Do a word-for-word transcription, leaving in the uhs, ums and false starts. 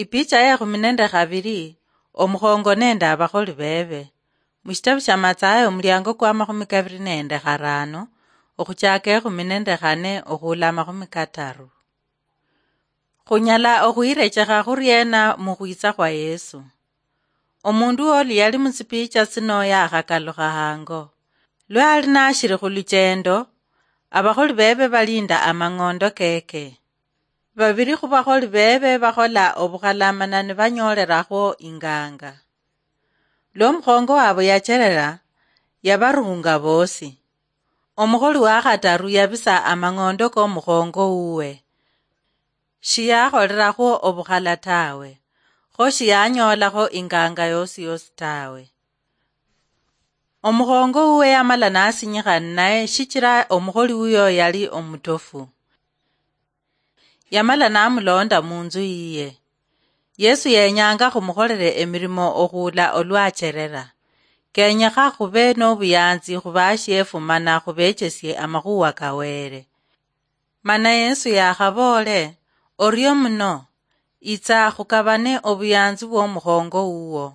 Ipicha ya ekhumi nende khabiri, omukhongo nende abakholi bebe. Mushitabu shia Mathayo, omuliango kwa makhumi kabiri nende kharano, okhuchaka ekhumi nende khane okhula amakhumi kataru. Khunyala okhwirechekha khuriena mukhwitsa khwa Yesu? Omundu oli yali mutsipicha tsino yakhakalukha hango. Lwa ali nashiri khuluchendo, abakholi bebe balinda amang'ondo keke. Babiri khubakholi bebe bakhola obukhalamana nibanyoolerakhwo inganga. Lwa omukhongo wabwe yacherera, yabarunga bosi. Omukholi wakhataru yabisa amang'ondo komukhongo wuwe. Shiyakholerakhwo obukhala tawe, kho shiyanyoolakho inganga yosi yosi tawe. Omukhongo wuwe yamala nasinyikha ninaye shichira omukholi wuyo yali omutofu. Yamala namulonda munzu yiye. Yesu yenyanga khumukholere emirimo okhuula olwacherera. Kenyekha khube nobuyanzi khubashiefu mana khubechesie amakhuwa ka Wele. Mana Yesu yakhaboole, "Orio muno, itsa khukabane obuyanzi bw'omukhongo wuwo."